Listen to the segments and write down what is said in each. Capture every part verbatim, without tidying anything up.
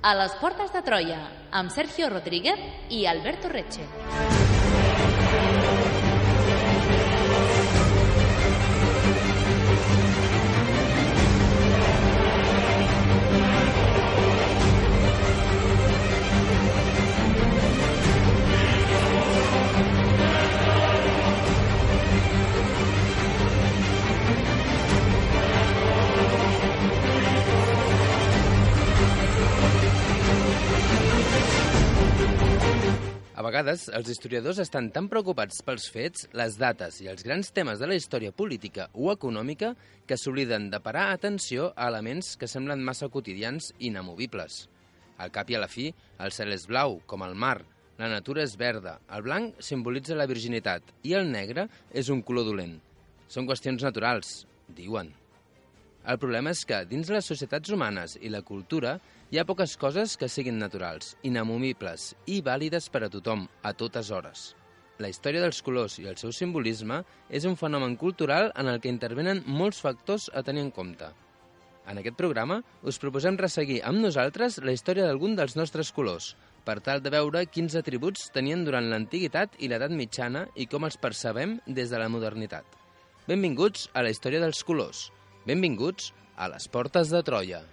A les portes de Troia, amb Sergio Rodríguez i Alberto Reche. A vegades, els historiadors estan tan preocupats pels fets, les dates i els grans temes de la història política o econòmica que s'obliden de parar atenció a elements que semblen massa quotidians i inamovibles. Al cap i a la fi, el cel és blau, com el mar, la natura és verda, el blanc simbolitza la virginitat i el negre és un color dolent. Són qüestions naturals, diuen. El problema és que, dins les societats humanes i la cultura, hi ha poques coses que siguin naturals, inamovibles i vàlides per a tothom, a totes hores. La història dels colors i el seu simbolisme és un fenomen cultural en el que intervenen molts factors a tenir en compte. En aquest programa us proposem resseguir amb nosaltres la història d'algun dels nostres colors, per tal de veure quins atributs tenien durant l'antiguitat i l'edat mitjana i com els percebem des de la modernitat. Benvinguts a la història dels colors. Benvinguts a les portes de Troia.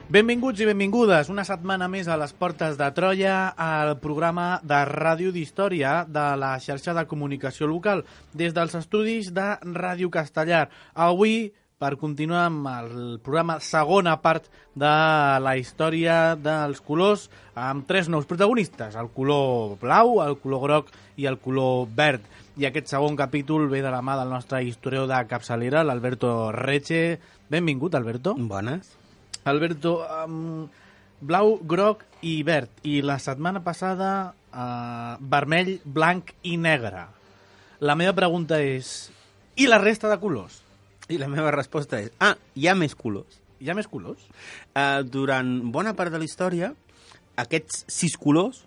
Benvinguts i benvingudes una setmana més a les portes de Troia, al programa de Ràdio d'Història de la xarxa de comunicació local, des dels estudis de Ràdio Castellar. Avui, per continuar amb el programa segona part de la història dels colors, amb tres nous protagonistes, el color blau, el color groc i el color verd. I aquest segon capítol ve de la mà del nostre historiador de capçalera, l'Alberto Reche. Benvingut, Alberto. Bones. Alberto, um, blau, groc i verd. I la setmana passada, uh, vermell, blanc i negre. La meva pregunta és, i la resta de colors? I la meva resposta és, ah, hi ha més colors. Hi ha més colors? Uh, durant bona part de la història, aquests sis colors,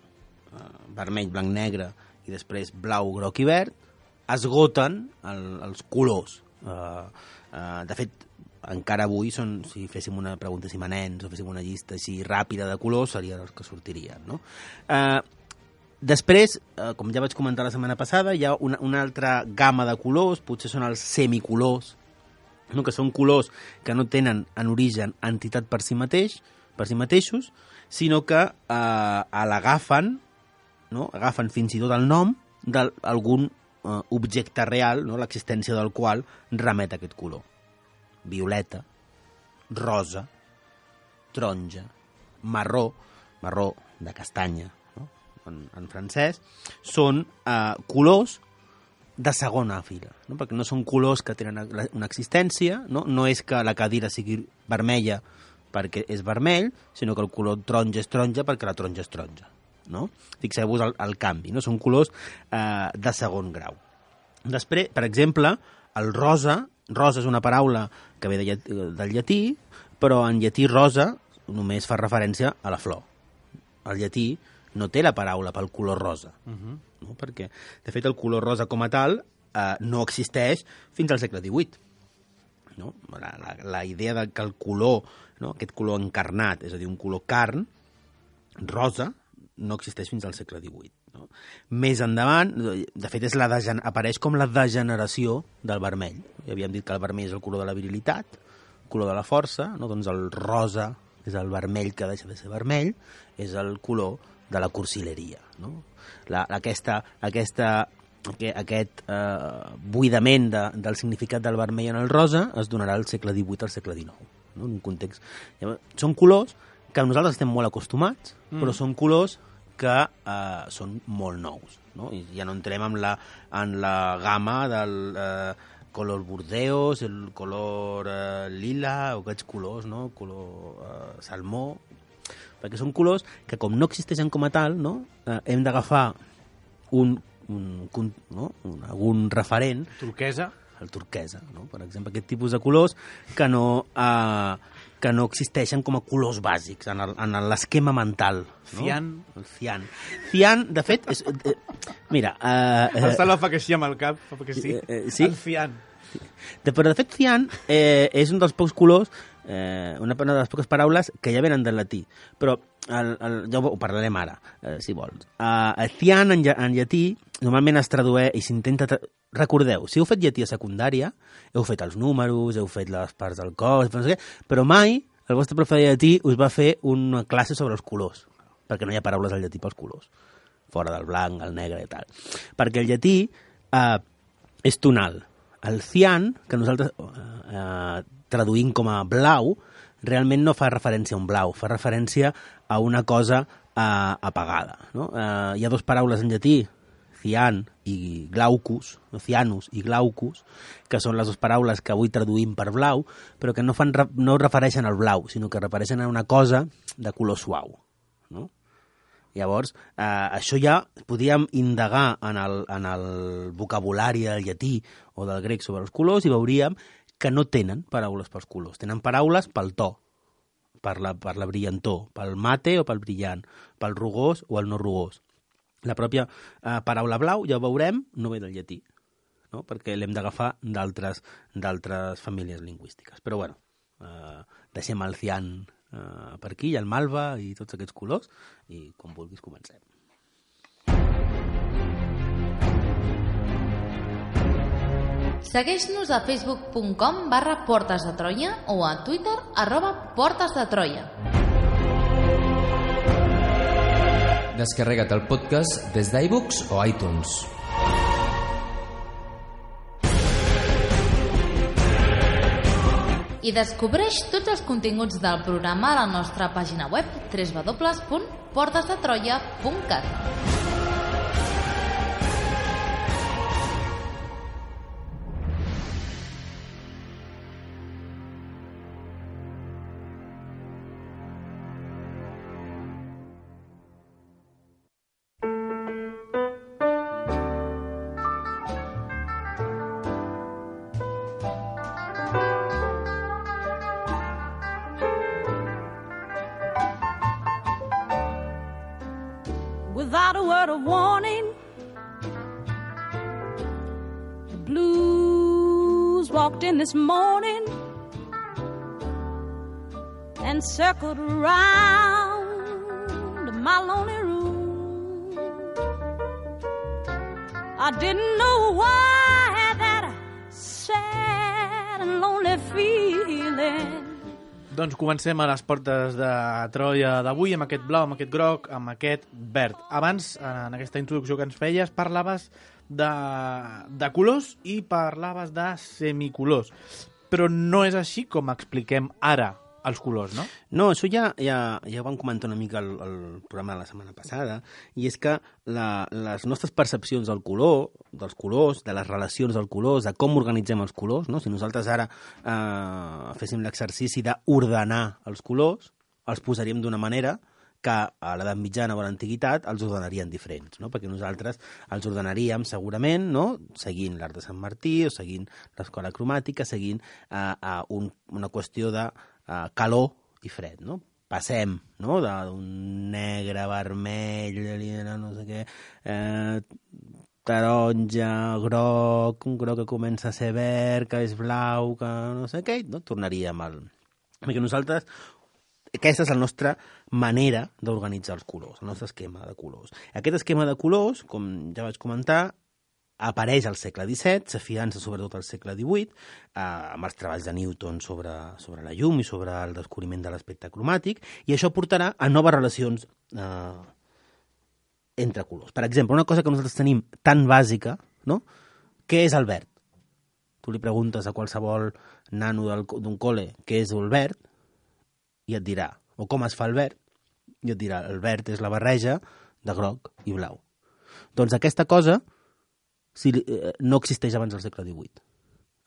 uh, vermell, blanc, negre, i després blau, groc i verd, esgoten el, els colors. Uh, uh, de fet, encara avui, són, si féssim una pregunta si nens o féssim una llista així ràpida de colors, serien els que sortirien, no? Eh, després, eh, com ja vaig comentar la setmana passada, hi ha una, una altra gamma de colors, potser són els semicolors, no? Que són colors que no tenen en origen entitat per si mateix, per si mateixos, sinó que eh, l'agafen, no? Agafen fins i tot el nom d'algun eh, objecte real, no? L'existència del qual remet a aquest color. Violeta, rosa, taronja, marró, marró de castanya, no? en, en francès, són eh, colors de segona fila, no? Perquè no són colors que tenen una existència, no? No és que la cadira sigui vermella perquè és vermell, sinó que el color taronja és taronja perquè la taronja és taronja, no? Fixeu-vos el, el canvi, no? Són colors eh, de segon grau. Després, per exemple, el rosa, rosa és una paraula que ve de llatí, del llatí, però en llatí rosa només fa referència a la flor. El llatí no té la paraula pel color rosa, uh-huh. no? Perquè, de fet, el color rosa com a tal eh, no existeix fins al segle divuit. No? La, la, la idea de que el color, no? Aquest color encarnat, és a dir, un color carn, rosa, no existeix fins al segle divuit. No? Més endavant, de fet, és la degen... apareix com la degeneració del vermell. Ja havíem dit que el vermell és el color de la virilitat, el color de la força, no? Doncs el rosa és el vermell que deixa de ser vermell, és el color de la cursileria. No? La, aquesta, aquesta, aquest eh, buidament de, del significat del vermell en el rosa es donarà al segle divuit al segle dinou. No? En un context... Són colors que nosaltres estem molt acostumats, mm. però són colors que eh, són molt nous, no? I ja no entrem en la, en la gamma del eh, color burdeos, el color eh, lila, o aquests colors, no? Color eh, salmó. perquè són colors que, com no existeixen com a tal, no? eh, hem d'agafar un, un, un, no? un, algun referent. Turquesa. El turquesa, no? Per exemple, aquest tipus de colors que no, eh, que no existeixen com a colors bàsics en, el, en l'esquema mental. No? Cian. El cian. Cian, de fet, és, eh, mira... Eh, el Salva fa que sí amb el cap, fa que sí. Eh, eh, sí? El cian. De, però, de fet, cian eh, és un dels pocs colors, eh, una de les poques paraules que ja venen del latí. Però el, el, ja ho parlarem ara, eh, si vols. Uh, el cian, en, en llatí, normalment es tradueix i s'intenta... Tra Recordeu, si heu fet llatí a secundària, heu fet els números, heu fet les parts del cos, no sé què, però mai el vostre profe de llatí us va fer una classe sobre els colors, perquè no hi ha paraules al llatí pels colors, fora del blanc, el negre i tal. Perquè el llatí eh, és tonal. El cian, que nosaltres eh, traduïm com a blau, realment no fa referència a un blau, fa referència a una cosa eh, apagada. No? Eh, hi ha dues paraules en llatí, cian i glaucus, no, cianus i glaucus, que són les dues paraules que avui traduïm per blau, però que no, fan, no refereixen al blau, sinó que refereixen a una cosa de color suau. No? Llavors, eh, això ja podíem indagar en el, en el vocabulari del llatí o del grec sobre els colors i veuríem que no tenen paraules pels colors, tenen paraules pel to, per la, per la brillantor, pel mate o pel brillant, pel rugós o el no rugós. La pròpia eh, paraula blau, ja ho veurem, no ve del llatí, no? Perquè l'hem d'agafar d'altres famílies lingüístiques. Però bueno, eh, deixem el cian eh, per aquí, i el malva i tots aquests colors, i quan vulguis comencem. Segueix-nos a facebook punt com barra Portes de Troia o a Twitter arroba Portes de Troia. Descarrega't el podcast des d'iBooks o iTunes. I descobreix tots els continguts del programa a la nostra pàgina web w w w punt portes de troia punt cat. Without a word of warning, the blues walked in this morning and circled around my lonely room. I didn't know why that sad and lonely feeling. Doncs comencem a les portes de Troia d'avui amb aquest blau, amb aquest groc, amb aquest verd. Abans, en aquesta introducció que ens feies, parlaves de, de colors i parlaves de semicolors. Però no és així com expliquem ara els colors, no? No, això ja, ja, ja ho vam comentar una mica al, al programa de la setmana passada, i és que la, les nostres percepcions del color, dels colors, de les relacions dels colors, de com organitzem els colors, no? Si nosaltres ara eh, féssim l'exercici d'ordenar els colors, els posaríem d'una manera que a l'edat mitjana o a l'antiguitat els ordenarien diferents, no? Perquè nosaltres els ordenaríem segurament, no? Seguint l'art de Sant Martí o seguint l'escola cromàtica, seguint eh, eh, un, una qüestió de Uh, calor i fred, no? Passem, no?, d'un negre, vermell, no sé què, eh, taronja, groc, un groc que comença a ser verd, que és blau, que no sé què, no? Tornaríem al... Perquè nosaltres, aquesta és la nostra manera d'organitzar els colors, el nostre esquema de colors. Aquest esquema de colors, com ja vaig comentar, apareix al segle disset, s'afiança sobretot al segle divuit, eh, amb els treballs de Newton sobre, sobre la llum i sobre el descobriment de l'espectre cromàtic, i això portarà a noves relacions eh, entre colors. Per exemple, una cosa que nosaltres tenim tan bàsica, no? Què és el verd? Tu li preguntes a qualsevol nano d'un col·le què és el verd, i et dirà, o com es fa el verd, i et dirà, el verd és la barreja de groc i blau. Doncs aquesta cosa si, eh, no existeix abans del segle divuit.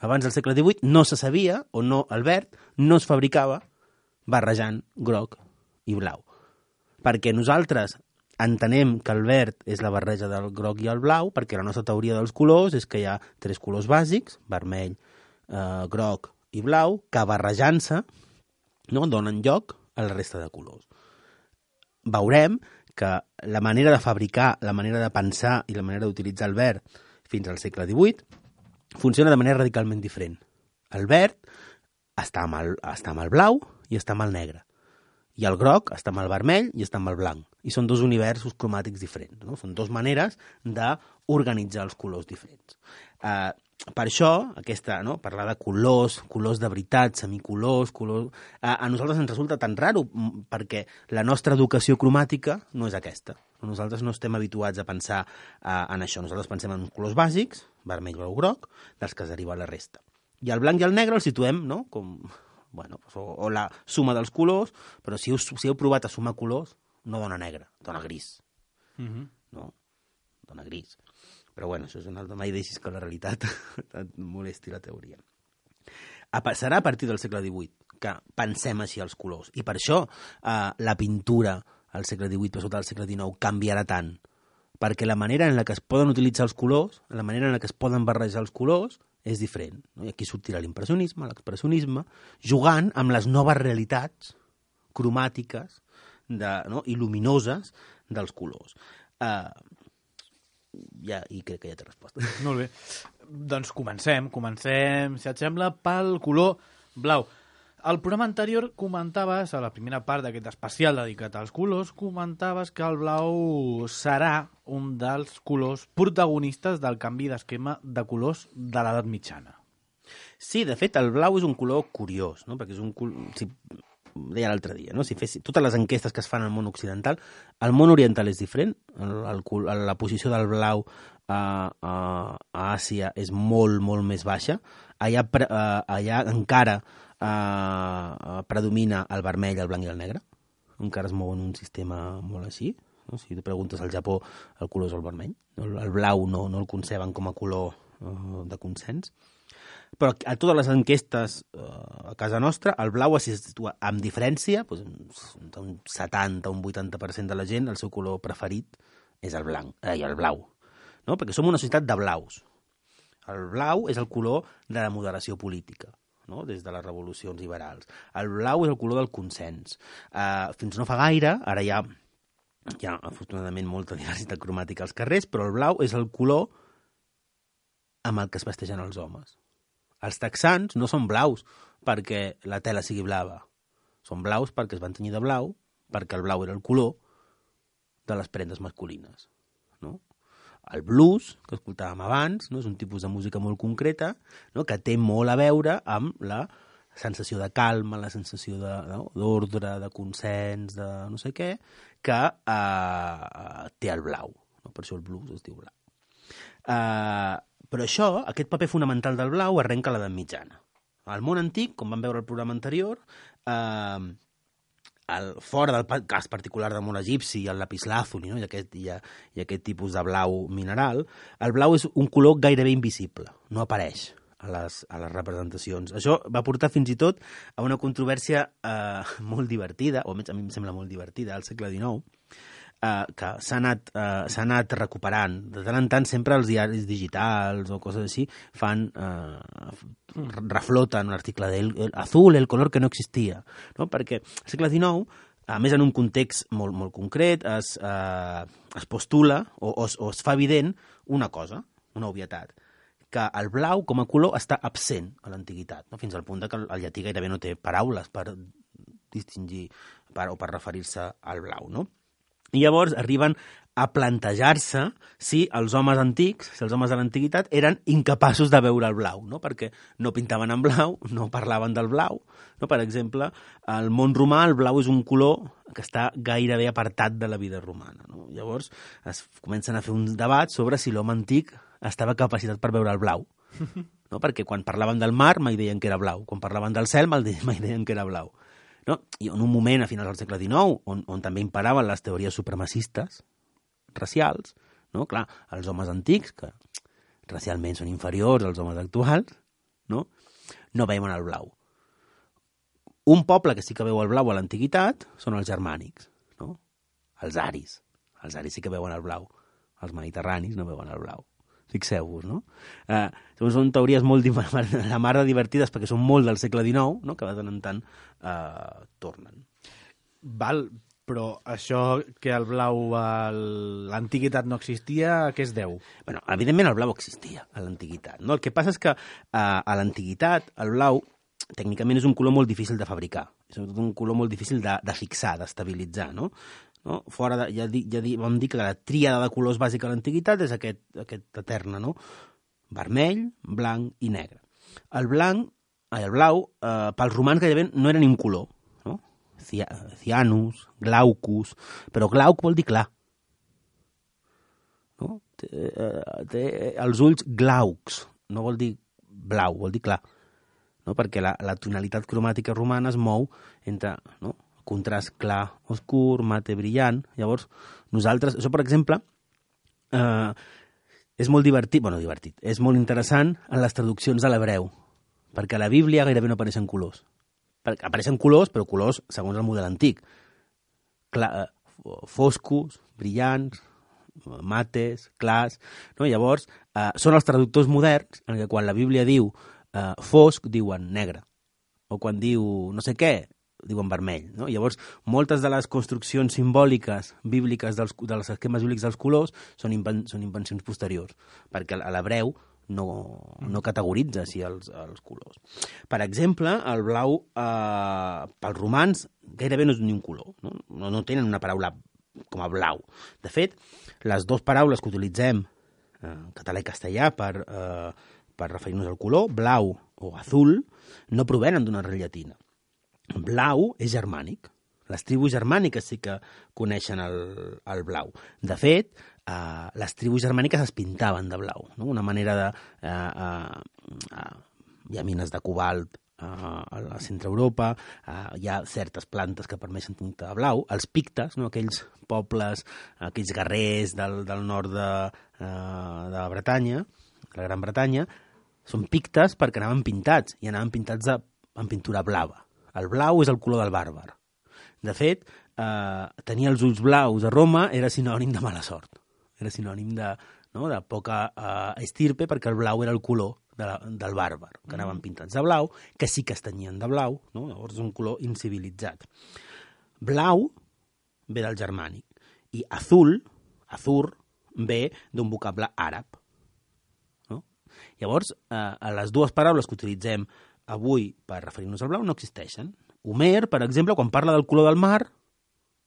Abans del segle divuit no se sabia, o no, el verd no es fabricava barrejant groc i blau. perquè nosaltres entenem que el verd és la barreja del groc i el blau, perquè la nostra teoria dels colors és que hi ha tres colors bàsics, vermell, eh, groc i blau, que barrejant-se, no, donen lloc a la resta de colors. Veurem que la manera de fabricar, la manera de pensar i la manera d'utilitzar el verd fins al segle divuit funciona de manera radicalment diferent. El verd està amb el, està amb el blau i està amb el negre. I el groc està amb el vermell i està amb el blanc. I són dos universos cromàtics diferents. No? Són dues maneres d'organitzar els colors diferents. Uh, per això, aquesta, no? Parlar de colors, colors de veritat, semicolors, colors... Uh, a nosaltres ens resulta tan raro perquè la nostra educació cromàtica no és aquesta. Nosaltres no estem habituats a pensar uh, en això. Nosaltres pensem en colors bàsics, vermell, blau, groc, dels que es deriva la resta. I el blanc i el negre els situem, no?, com... Bueno, o, o la suma dels colors, però si heu, si heu provat a sumar colors, no dona negre, dona gris. Uh-huh. No? Dona gris. Però bueno, això és un altre... Mai deixis que la realitat et molesti la teoria. A, serà a partir del segle divuit que pensem així els colors. I per això eh, la pintura al segle divuit, per sota del segle dinou, canviarà tant. Perquè la manera en la que es poden utilitzar els colors, la manera en la que es poden barrejar els colors, és diferent. No? I aquí sortirà l'impressionisme, l'expressionisme, jugant amb les noves realitats cromàtiques de, no? i luminoses dels colors. Uh, ja, I crec que ja té resposta. Molt bé. Doncs comencem, comencem, si et sembla, pel color blau. Al programa anterior comentaves, a la primera part d'aquest especial dedicat als colors, comentaves que el blau serà un dels colors protagonistes del canvi d'esquema de colors de l'edat mitjana. Sí, de fet, el blau és un color curiós, no? Perquè és un color... Si... Deia l'altre dia, no? Si fessi totes les enquestes que es fan al món occidental, el món oriental és diferent, el, el, la posició del blau a, a, a Àsia és molt, molt més baixa. Allà, pre, uh, allà encara uh, predomina el vermell, el blanc i el negre. Encara es mou en un sistema molt així. No? Si tu preguntes al Japó, el color és el vermell. El, el blau no, no el conceben com a color uh, de consens. Però a totes les enquestes uh, a casa nostra, el blau es situa amb diferència, doncs, un setanta, un vuitanta per cent de la gent, el seu color preferit és el blanc, eh, el blau. No? Perquè som una societat de blaus. El blau és el color de la moderació política, no? Des de les revolucions liberals. El blau és el color del consens. Uh, fins no fa gaire, ara hi ha, hi ha afortunadament molta diversitat cromàtica als carrers, però el blau és el color amb el que es vesteixen els homes. Els texans no són blaus perquè la tela sigui blava. Són blaus perquè es van tenyir de blau, perquè el blau era el color de les prendes masculines. No? El blues, que escoltàvem abans, no? És un tipus de música molt concreta, no? Que té molt a veure amb la sensació de calma, la sensació de, no? d'ordre, de consens, de no sé què, que eh, té el blau. No? Per això el blues es diu blau. Eh... Però això, aquest paper fonamental del blau, arrenca a l'edat mitjana. Al món antic, com vam veure al programa anterior, eh, el, fora del cas particular del món egipci, el lapislàzuli, no? I, aquest, i, i aquest tipus de blau mineral, el blau és un color gairebé invisible, no apareix a les, a les representacions. Això va portar fins i tot a una controvèrsia eh, molt divertida, o almenys a mi em sembla molt divertida, al segle dinou, Uh, que s'ha anat, uh, s'ha anat recuperant. De tant en tant sempre els diaris digitals o coses així fan, uh, refloten un article del azul, el color que no existia. No? Perquè al segle dinou, a més en un context molt, molt concret, es, uh, es postula o, o, o es fa evident una cosa, una obvietat, que el blau com a color està absent a l'antiguitat, no? Fins al punt que el llatí gairebé no té paraules per distingir per, o per referir-se al blau, no? I llavors arriben a plantejar-se si els homes antics, si els homes de l'antiguitat, eren incapaços de veure el blau, no? Perquè no pintaven en blau, no parlaven del blau. No? Per exemple, al món romà el blau és un color que està gairebé apartat de la vida romana. No? Llavors es comencen a fer un debat sobre si l'home antic estava capacitat per veure el blau. No? Perquè quan parlaven del mar mai deien que era blau, quan parlaven del cel mai deien que era blau. No? I en un moment, a finals del segle dinou, on, on també imperaven les teories supremacistes racials, no? Clar, els homes antics, que racialment són inferiors als homes actuals, no, no veien el blau. Un poble que sí que veu el blau a l'antiguitat són els germànics. No? Els aris. Els aris sí que veuen el blau. Els mediterranis no veuen el blau. Fixeu-vos, no? Eh, són teories molt la mar de divertides perquè són molt del segle dinou, no? Que de tant en tant eh, tornen. Val, però això que el blau a l'antiguitat no existia, a què es deu? Bueno, evidentment el blau existia a l'antiguitat, no? El que passa és que eh, a l'antiguitat el blau tècnicament és un color molt difícil de fabricar, és un color molt difícil de, de fixar, d'estabilitzar, no? No? Fora de, ja, di, ja di, vam dir que la tríada de colors bàsica a l'antiguitat és aquest, aquest eterna, no? Vermell, blanc i negre. El blanc, el blau, eh, pels romans gairebé no era ni un color, no? Cianus, glaucus, però glauc vol dir clar. No? Té, eh, té els ulls glaucs, no vol dir blau, vol dir clar. No? Perquè la, la tonalitat cromàtica romana es mou entre... No? Contrast clar, oscur, mate, brillant. Llavors, nosaltres... Això, per exemple, eh, és molt divertit, bueno, divertit, és molt interessant en les traduccions de l'hebreu, perquè a la Bíblia gairebé no apareixen colors. Apareixen colors, però colors segons el model antic. Clar, foscos, brillants, mates, clars... No? Llavors, eh, són els traductors moderns en què quan la Bíblia diu eh, fosc, diuen negre. O quan diu no sé què, diuen vermell. No? Llavors, moltes de les construccions simbòliques bíbliques dels, dels esquemes bíblics dels colors són, inven, són invencions posteriors, perquè a l'hebreu no, no categoritza així els, els colors. Per exemple, el blau, eh, pels romans, gairebé no és ni un color. No? No, no tenen una paraula com a blau. De fet, les dues paraules que utilitzem eh, en català i castellà per, eh, per referir-nos al color, blau o azul, no provenen d'una arrel llatina. Blau és germànic. Les tribus germàniques sí que coneixen el, el blau. De fet, eh, les tribus germàniques es pintaven de blau. No? Una manera de... Eh, eh, eh, hi ha mines de cobalt eh, a la centre-Europa, eh, hi ha certes plantes que permeten pintar de blau. Els pictes, no? Aquells pobles, aquells guerrers del, del nord de, eh, de Bretanya, de la Gran Bretanya, són pictes perquè anaven pintats, i anaven pintats de, en pintura blava. El blau és el color del bàrbar. De fet, eh, tenir els ulls blaus a Roma era sinònim de mala sort. Era sinònim de, no, de poca eh, estirpe, perquè el blau era el color de la, del bàrbar, que anaven pintats de blau, que sí que es tenyien de blau, no? Llavors és un color incivilitzat. Blau ve del germànic, i azul, azur, ve d'un vocable àrab. No? Llavors, eh, les dues paraules que utilitzem avui per referir-nos al blau no existeixen. Homer, per exemple, quan parla del color del mar,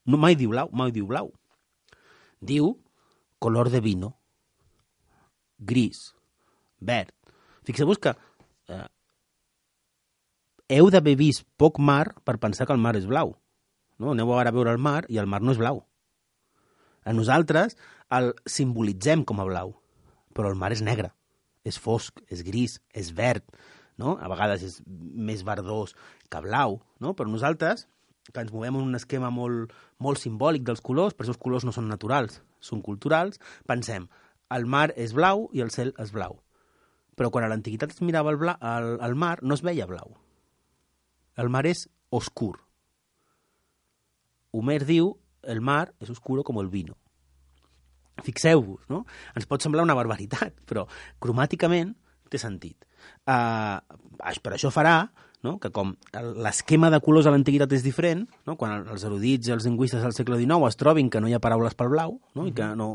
no mai diu blau, mai diu blau. Diu color de vino, gris, verd. Fixeu-vos que eh, heu d'haver vist poc mar per pensar que el mar és blau. No? Aneu ara a veure el mar i el mar no és blau. A nosaltres el simbolitzem com a blau, però el mar és negre, és fosc, és gris, és verd. No? A vegades és més verdós que blau, no? Però nosaltres, que ens movem en un esquema molt, molt simbòlic dels colors, per això els colors no són naturals, són culturals, pensem, el mar és blau i el cel és blau. Però quan a l'antiguitat es mirava el, bla, el, el mar, no es veia blau. El mar és oscur. Homer diu, el mar és oscuro com el vino. Fixeu-vos, no? Ens pot semblar una barbaritat, però cromàticament té sentit. Uh, per això farà, no?, que com l'esquema de colors a l'antiguitat és diferent, no?, quan els erudits i els lingüistes del segle dinou es trobin que no hi ha paraules pel blau, no?, i que no,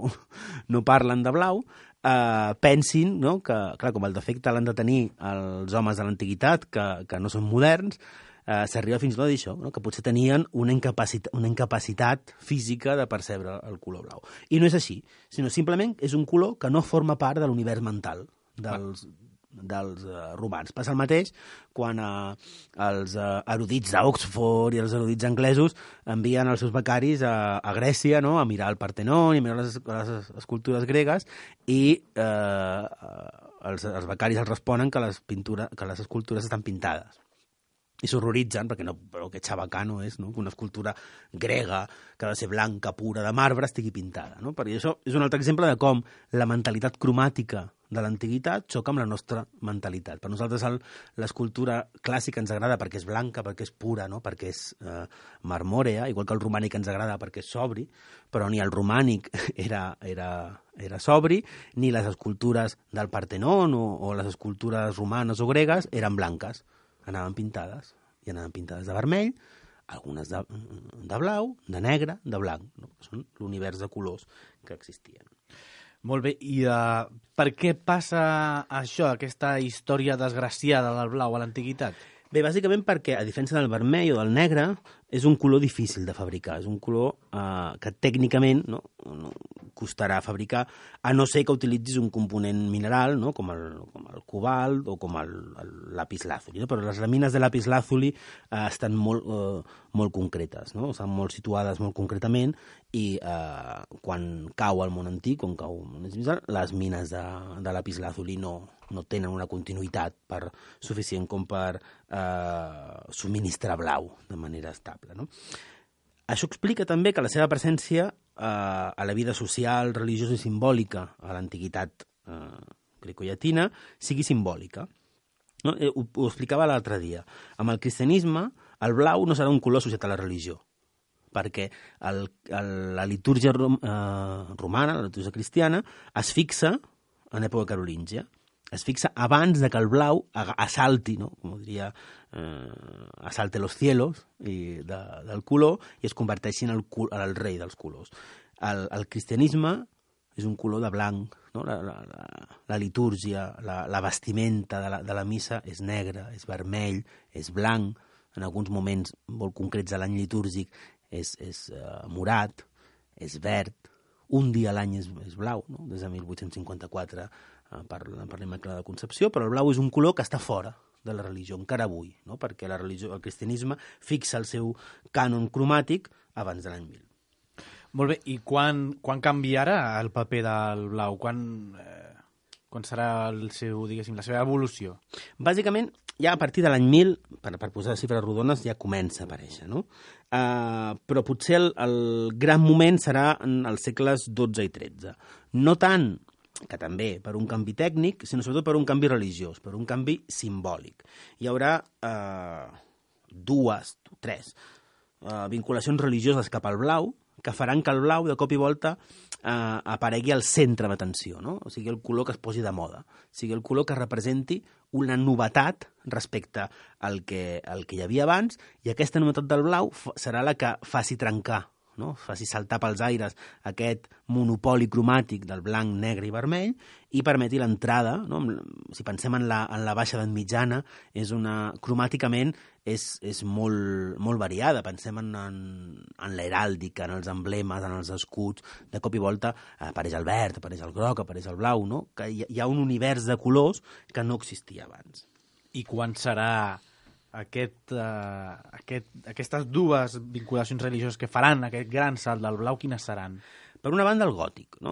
no parlen de blau, uh, pensin, no?, que, clar, com el defecte l'han de tenir els homes de l'antiguitat, que, que no són moderns, uh, s'arriba fins i tot a dir això, no?, que potser tenien una incapacitat, una incapacitat física de percebre el color blau. I no és així, sinó simplement és un color que no forma part de l'univers mental dels... dels uh, romans. Passa el mateix quan uh, els uh, erudits d'Oxford i els erudits anglesos envien els seus becaris a, a Grècia, no?, a mirar el Partenon i a mirar les, les escultures gregues, i uh, els, els becaris els responen que les, pintures, que les escultures estan pintades. i s'horroritzen perquè no, però que xabacano és, no? Que una escultura grega que ha de ser blanca, pura, de marbre, estigui pintada, no? Perquè això és un altre exemple de com la mentalitat cromàtica de l'antiguitat xoca amb la nostra mentalitat. Per nosaltres l'escultura clàssica ens agrada perquè és blanca, perquè és pura, no? Perquè és eh, marmòrea, igual que el romànic ens agrada perquè és sobri, però ni el romànic era, era, era sobri, ni les escultures del Partenón o, o les escultures romanes o gregues eren blanques. Anaven pintades, i anaven pintades de vermell, algunes de, de blau, de negre, de blanc, no? Que són l'univers de colors que existien. Molt bé, i uh, per què passa això, aquesta història desgraciada del blau a l'antiguitat? Bé, bàsicament perquè, a diferència del vermell o del negre, és un color difícil de fabricar. És un color eh, que tècnicament no, no costarà fabricar, a no ser que utilitzis un component mineral, no, com, el, com el cobalt o com el, el lapislàzuli. No? Però les làmines de lapislàzuli eh, estan molt, eh, molt concretes, no? Estan molt situades molt concretament i eh, quan cau el món antic, quan cau el món antic, les mines de, de lapislàzuli no, no tenen una continuïtat per, suficient com per eh, subministrar blau de manera estable. No? Això explica també que la seva presència eh, a la vida social, religiosa i simbòlica a l'antiguitat eh, grecollatina sigui simbòlica. No? Eh, ho, ho explicava l'altre dia. Amb el cristianisme, el blau no serà un color associat a la religió, perquè el, el, la litúrgia rom, eh, romana, la litúrgia cristiana, es fixa en època carolíngia. Es fixa abans de que el blau assalti, no? Com diria, eh, assalte los cielos i de, del color i es converteixi en el, en el rei dels colors. El, el cristianisme és un color de blanc, no? la, la, la, la litúrgia, la, la vestimenta de la, de la missa és negra, és vermell, és blanc, en alguns moments molt concrets de l'any litúrgic és, és uh, morat, és verd, un dia a l'any és, és blau, no? Des de mil vuit-cents cinquanta-quatre per, per l'Immaculada Concepció, però el blau és un color que està fora de la religió, encara avui, no? Perquè la religió, el cristianisme fixa el seu cànon cromàtic abans de l'any mil. Molt bé, i quan, quan canviarà el paper del blau? Quan, eh, quan serà el seu, diguéssim, la seva evolució? Bàsicament, ja a partir de l'any mil, per, per posar xifres rodones, ja comença a aparèixer, no? Uh, però potser el, el gran moment serà en els segles dotze i tretze. No tant que també per un canvi tècnic, sinó sobretot per un canvi religiós, per un canvi simbòlic. Hi haurà eh, dues, tres eh, vinculacions religioses cap al blau que faran que el blau de cop i volta eh, aparegui al centre d'atenció, no? O sigui, el color que es posi de moda, o sigui, el color que representi una novetat respecte al que, al que hi havia abans, i aquesta novetat del blau serà la que faci trencar, no? Faci saltar pels aires aquest monopoli cromàtic del blanc, negre i vermell i permeti l'entrada, no? Si pensem en la, en la baixa edat mitjana, és una, cromàticament és, és molt, molt variada. Pensem en, en, en l'heràldica, en els emblemes, en els escuts. De cop i volta apareix el verd, apareix el groc, apareix el blau, no? Que hi, hi ha un univers de colors que no existia abans. I quan serà Aquest, uh, aquest, aquestes dues vinculacions religioses que faran aquest gran salt del blau, quines seran? Per una banda, el gòtic, no?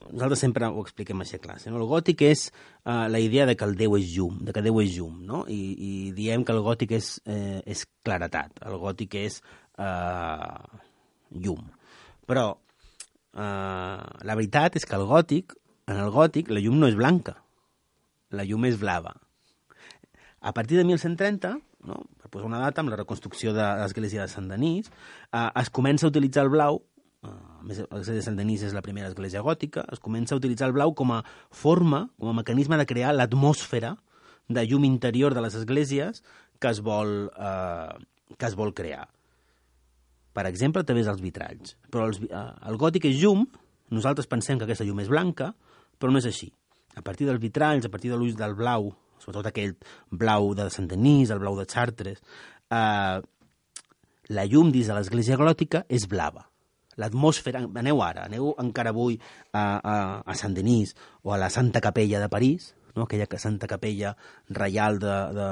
Nosaltres sempre ho expliquem així a classe, no? El gòtic és uh, la idea de que el Déu és llum, de que Déu és llum, no? I, i diem que el gòtic és, eh, és claretat, el gòtic és uh, llum. Però uh, la veritat és que el gòtic, en el gòtic, la llum no és blanca, la llum és blava. A partir de mil cent trenta, no, per posar una data, amb la reconstrucció de l'església de Sant Denis, eh, es comença a utilitzar el blau, eh, l'església de Sant Denis és la primera església gòtica, es comença a utilitzar el blau com a forma, com a mecanisme de crear l'atmosfera de llum interior de les esglésies que es vol, eh, que es vol crear. Per exemple, a través dels vitralls. Però els, eh, el gòtic és llum, nosaltres pensem que aquesta llum és blanca, però no és així. A partir dels vitralls, a partir de l'ús del blau, sobretot aquell blau de Sant Denis, el blau de Chartres, eh, la llum dins de l'església gòtica és blava. L'atmosfera, aneu ara, aneu encara avui a, a, a Sant Denis o a la Santa Capella de París, no? Aquella Santa Capella reial de, de,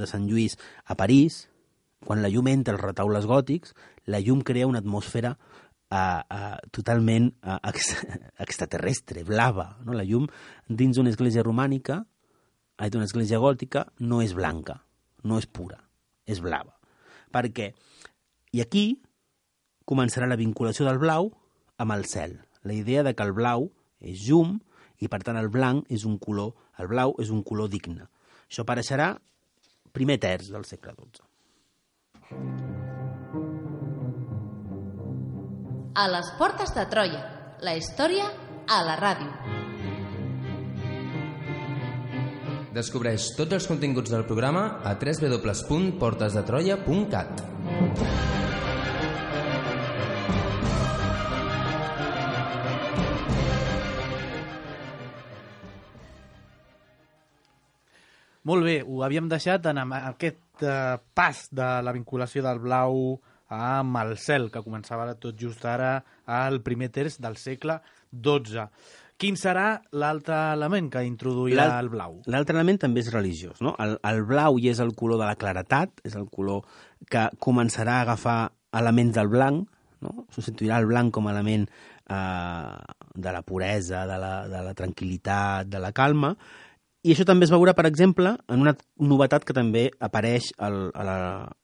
de Sant Lluís a París, quan la llum entra als retaules gòtics, la llum crea una atmosfera uh, uh, totalment uh, ex, extraterrestre, blava. No? La llum dins d'una església romànica, d'una església gòtica, no és blanca, no és pura, és blava. Per què? I aquí començarà la vinculació del blau amb el cel. La idea de que el blau és llum i, per tant, el blanc és un color, el blau és un color digne. Això apareixerà primer terç del segle dotze. A les portes de Troia, la història a la ràdio. Descobreix tots els continguts del programa a w w w punt portes de troia punt cat. Molt bé, ho havíem deixat en aquest eh, pas de la vinculació del blau amb el cel, que començava tot just ara al primer terç del segle dotze. Quin serà l'altre element que introduirà el blau? L'altre element també és religiós, no? El, el blau ja és el color de la claretat, és el color que començarà a agafar elements del blanc, no? Substituirà el blanc com a element eh, de la puresa, de la, de la tranquil·litat, de la calma. I això també es veurà, per exemple, en una novetat que també apareix al, a, la,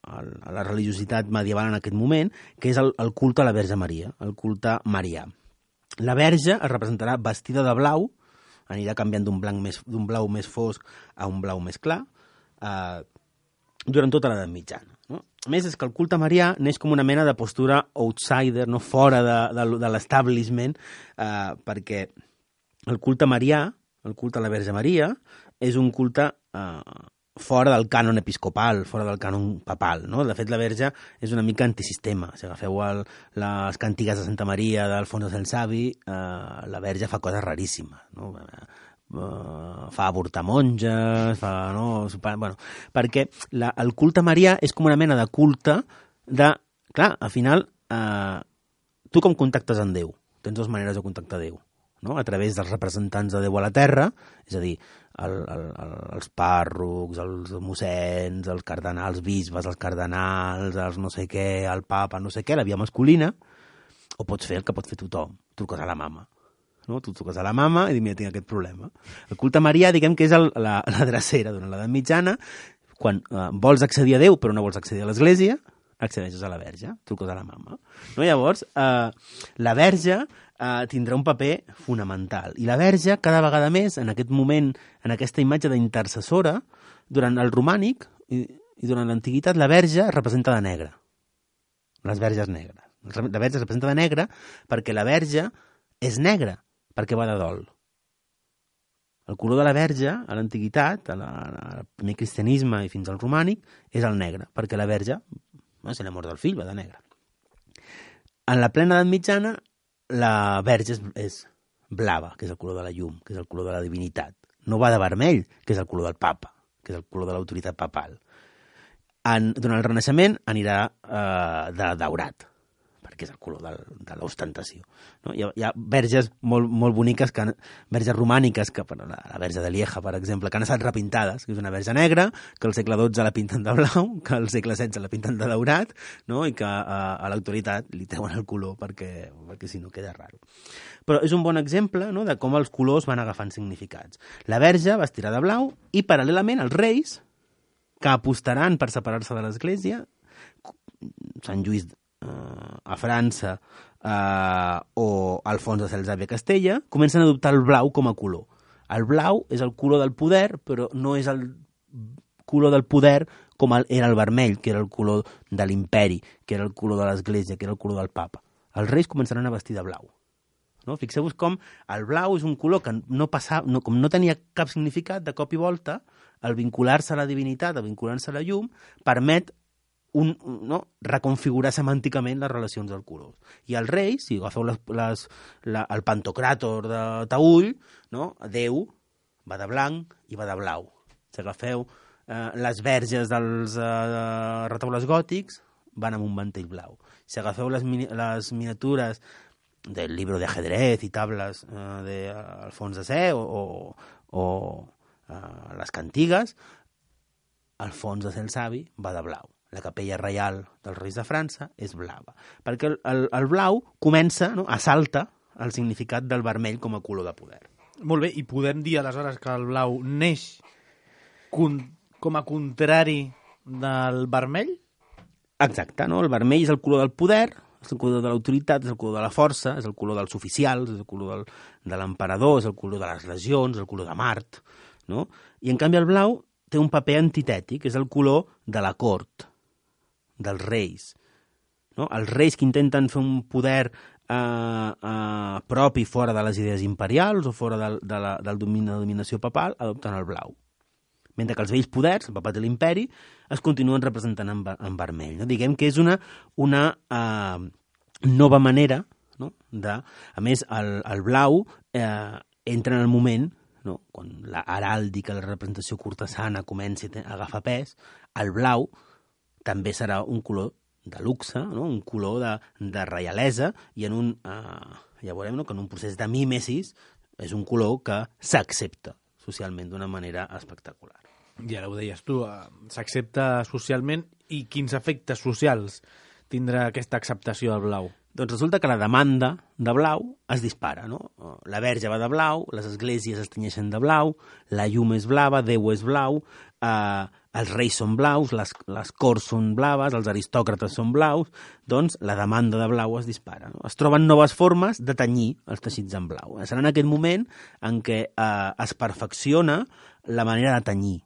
a la religiositat medieval en aquest moment, que és el, el culte a la Verge Maria, el culte marià. La Verge es representarà vestida de blau, anirà canviant d'un blanc més, d'un blau més fosc a un blau més clar, eh, durant tota l'edat mitjana. No? A més, és que el culte marià neix com una mena de postura outsider, no? Fora de, de, de l'establishment, eh, perquè el culte marià, el culte a la Verge Maria, és un culte eh, fora del cànon episcopal, fora del cànon papal. No? De fet, la Verge és una mica antisistema. Si agafeu el, les càntigues de Santa Maria d'Alfonso el Savi, eh, la Verge fa coses raríssimes. No? Uh, fa avortar monges, fa, no? Bueno, perquè la, el culte marià és com una mena de culte de... Clar, al final, eh, tu com contactes amb Déu? Tens dues maneres de contactar Déu. No? A través dels representants de Déu a la Terra, és a dir, el, el, el, els pàrrocs, els mossens, els cardenals, els bisbes, els cardenals, els no sé què, el papa, no sé què, la via masculina, o pots fer el que pot fer tothom, truques a la mama. No? Tu truques a la mama i dius, mira, tinc aquest problema. El culte marià, diguem que és el, la, la drecera durant l'edat mitjana, quan eh, vols accedir a Déu però no vols accedir a l'Església, accedeixes a la Verge, truques a la mama. No? Llavors, eh, la Verge Uh, tindrà un paper fonamental. I la Verge, cada vegada més, en aquest moment, en aquesta imatge d'intercessora, durant el romànic i, i durant l'antiguitat, la Verge es representa de negre. Les Verges negres. La Verge es representa de negre perquè la Verge és negra, perquè va de dol. El color de la Verge, a l'antiguitat, al primer cristianisme i fins al romànic, és el negre, perquè la Verge, no, si la mort del fill, va de negre. En la plena edat mitjana, la Verge és, és blava, que és el color de la llum, que és el color de la divinitat. No va de vermell, que és el color del papa, que és el color de l'autoritat papal. En, durant el Renaixement anirà eh, de daurat, perquè és el color del, de l'ostentació. No? Hi, ha, hi ha verges molt, molt boniques, que, verges romàniques, que, la, la Verge de Lieja, per exemple, que han estat repintades, que és una verge negra, que al segle dotze la pinten de blau, que al segle setze la pinten de daurat, no? I que a, a l'autoritat li treuen el color perquè, perquè si no queda raro. Però és un bon exemple, no?, de com els colors van agafant significats. La Verge vestirà de blau i, paral·lelament, els reis, que apostaran per separar-se de l'Església, Sant Lluís a França eh, o Alfons de Salzàvia a Castella, comencen a adoptar el blau com a color. El blau és el color del poder, però no és el color del poder com el, era el vermell, que era el color de l'imperi, que era el color de l'Església, que era el color del papa. Els reis començaran a vestir de blau. No? Fixeu-vos com el blau és un color que no, passava, no, com no tenia cap significat, de cop i volta, el vincular-se a la divinitat, el vincular-se a la llum, permet un, no? reconfigurar semànticament les relacions dels colors. I els reis, si agafeu les, les, la, el pantocràtor de Taüll, no? Déu va de blanc i va de blau. Si agafeu eh, les verges dels eh, retaules gòtics, van amb un mantell blau. Si agafeu les, les miniatures del libro de ajedrez i tables eh, d'Alfons de Sé o, o, o eh, les cantigues, Alfons de Sé el Savi va de blau. La capella reial dels reis de França és blava. Perquè el, el, el blau comença, no?, assalta el significat del vermell com a color de poder. Molt bé, i podem dir aleshores que el blau neix con, com a contrari del vermell? Exacte, no? El vermell és el color del poder, és el color de l'autoritat, és el color de la força, és el color dels oficials, és el color del, de l'emperador, és el color de les legions, és el color de Mart, no? I en canvi el blau té un paper antitètic, és el color de la cort, dels reis. No? Els reis que intenten fer un poder eh, eh, propi fora de les idees imperials o fora del, de la del domini, de la dominació papal adopten el blau. Mentre que els vells poders, el papat i l'imperi, es continuen representant en, en vermell. No? Diguem que és una, una eh, nova manera, no? de, a més, el, el blau eh, entra en el moment, no? quan la heràldica, la representació cortesana comenci a agafar pes, el blau també serà un color de luxe, no? un color de, de reialesa, i en un, eh, ja veurem no? que en un procés de mímesis és un color que s'accepta socialment d'una manera espectacular. I ara ho deies tu, s'accepta socialment, i quins efectes socials tindrà aquesta acceptació del blau? Doncs resulta que la demanda de blau es dispara, no? La verge va de blau, les esglésies es tenyeixen de blau, la llum és blava, Déu és blau, eh, els reis són blaus, les, les corts són blaves, els aristòcrates són blaus, doncs la demanda de blau es dispara. No? Es troben noves formes de tenyir els teixits en blau. Serà en aquest moment en què eh, es perfecciona la manera de tenyir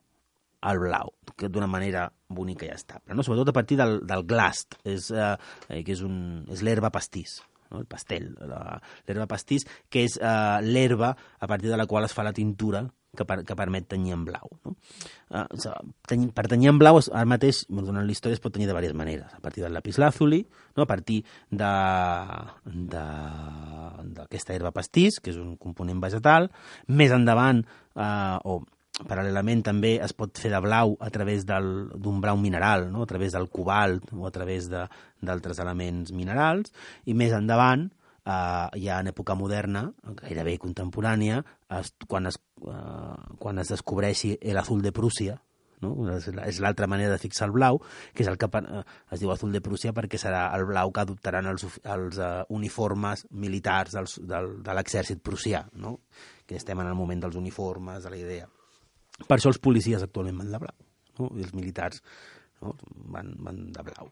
el blau, que d'una manera bonica i estable, no? Sobretot a partir del, del glast, és, eh, que és, un, és l'herba pastís, no? El pastel, la, l'herba pastís, que és eh, l'herba a partir de la qual es fa la tintura que, per, que permet tenyir en blau. No? Eh, teny, per tenyir en blau, ara mateix, durant la història, es pot tenyir de diverses maneres, a partir del lapislàzuli, no? A partir de, de, d'aquesta herba pastís, que és un component vegetal, més endavant, eh, o paral·lelament també es pot fer de blau a través del, d'un blau mineral, no? A través del cobalt o a través de, d'altres elements minerals, i més endavant, eh, ja en època moderna, gairebé contemporània, es, quan, es, eh, quan es descobreixi l'azul de Prússia, no? És, és l'altra manera de fixar el blau, que és el que eh, es diu azul de Prússia perquè serà el blau que adoptaran els, els uh, uniformes militars dels, del, de l'exèrcit prussià, no? Que estem en el moment dels uniformes, de la idea. Per això els policies actualment van de blau, no? I els militars, no? van, van de blau.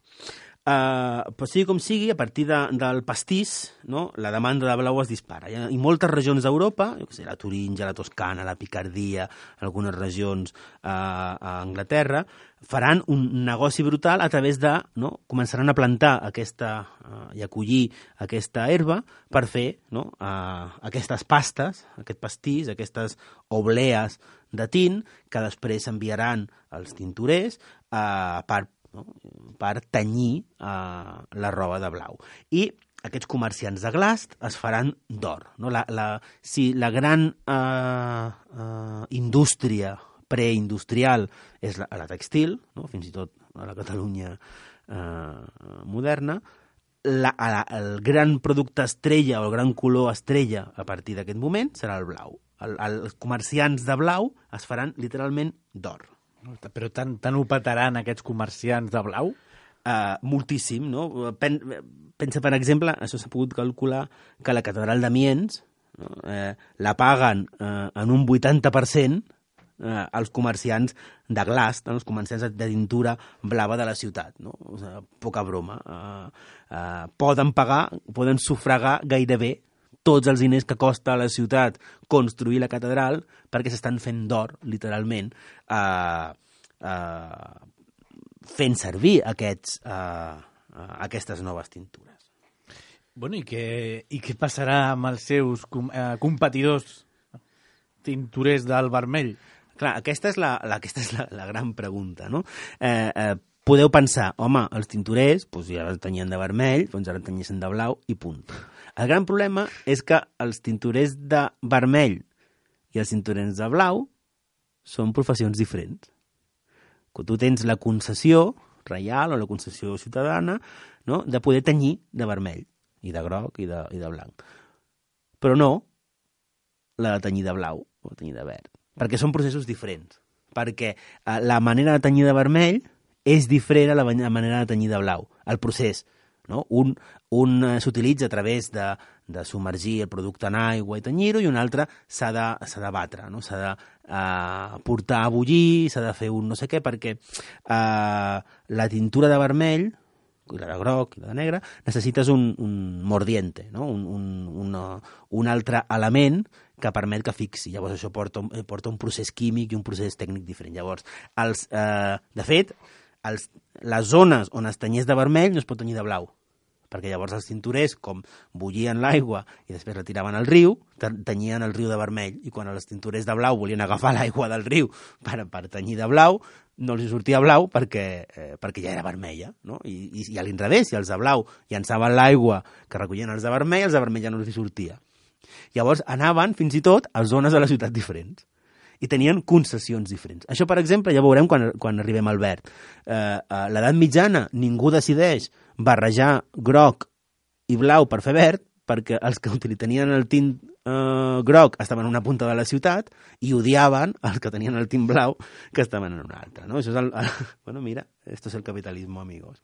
Uh, però sigui com sigui, a partir de, del pastís, no? La demanda de blau es dispara. I, i moltes regions d'Europa, jo què sé, la Turíngia, la Toscana, la Picardia, algunes regions uh, a Anglaterra, faran un negoci brutal a través de, no? Començaran a plantar aquesta, uh, i a collir aquesta herba per fer, no? uh, aquestes pastes, aquest pastís, aquestes oblees de tint que després s'enviaran als tinturers uh, per, no? per tenyir uh, la roba de blau. I aquests comerciants de glast es faran d'or. No? La, la, si la gran uh, uh, indústria preindustrial és la, la textil, no? Fins i tot a la Catalunya uh, moderna, la, la, el gran producte estrella o el gran color estrella a partir d'aquest moment serà el blau. El, els comerciants de blau es faran literalment d'or. Però tant, tant ho petaran aquests comerciants de blau? Uh, moltíssim, no? Pen, pensa, per exemple, això s'ha pogut calcular, que la catedral d'Amiens no? eh, la paguen eh, en un vuitanta per cent eh, els comerciants de glast, no? Els comerciants de tintura blava de la ciutat. No? O sigui, poca broma. Uh, uh, poden pagar, poden sufragar gairebé tots els diners que costa a la ciutat construir la catedral perquè s'estan fent d'or, literalment, eh, eh, fent servir aquests, eh, aquestes noves tintures. Bueno, i què, i què passarà amb els seus com, eh, competidors tinturers del vermell? Clar, aquesta és la, la, aquesta és la, la gran pregunta, no? Eh, eh, podeu pensar, home, els tinturers doncs ja tenyien de vermell, doncs ara tenyeixen de blau i punt. El gran problema és que els tinturers de vermell i els tinturers de blau són professions diferents. Quan tu tens la concessió reial o la concessió ciutadana, no?, de poder tenyir de vermell, i de groc i de, i de blanc. Però no la de tenyir de blau o de tenyir de verd, perquè són processos diferents. Perquè eh, la manera de tenyir de vermell és diferent a la manera de tenyir de blau. El procés no? Un, un eh, s'utilitza a través de, de submergir el producte en aigua i tenyir-ho, i un altre s'ha de, s'ha de batre, no? S'ha de eh, portar a bullir, s'ha de fer un no sé què, perquè eh, la tintura de vermell, i la de groc i la de negre, necessites un, un mordiente, no? un, un, una, un altre element que permet que fixi. Llavors això porta, porta un procés químic i un procés tècnic diferent. Llavors, els, eh, de fet, els, les zones on es tenyés de vermell no es pot tenyir de blau, perquè llavors els tinturers, com bullien l'aigua i després la tiraven al riu, tenyien el riu de vermell, i quan els tinturers de blau volien agafar l'aigua del riu per, per tenyir de blau, no els sortia blau perquè, eh, perquè ja era vermella, no? I, i, i a l'inrevés, si els de blau llançaven l'aigua que recollien els de vermell, els de vermell ja no els sortia. Llavors anaven fins i tot a zones de la ciutat diferents i tenien concessions diferents. Això, per exemple, ja veurem quan, quan arribem al verd. Eh, a l'edat mitjana ningú decideix barrejar groc i blau per fer verd, perquè els que tenien el tint eh, groc estaven en una punta de la ciutat i odiaven els que tenien el tint blau que estaven en una altra. No? Això és el, el, bueno, mira, esto es el capitalismo, amigos.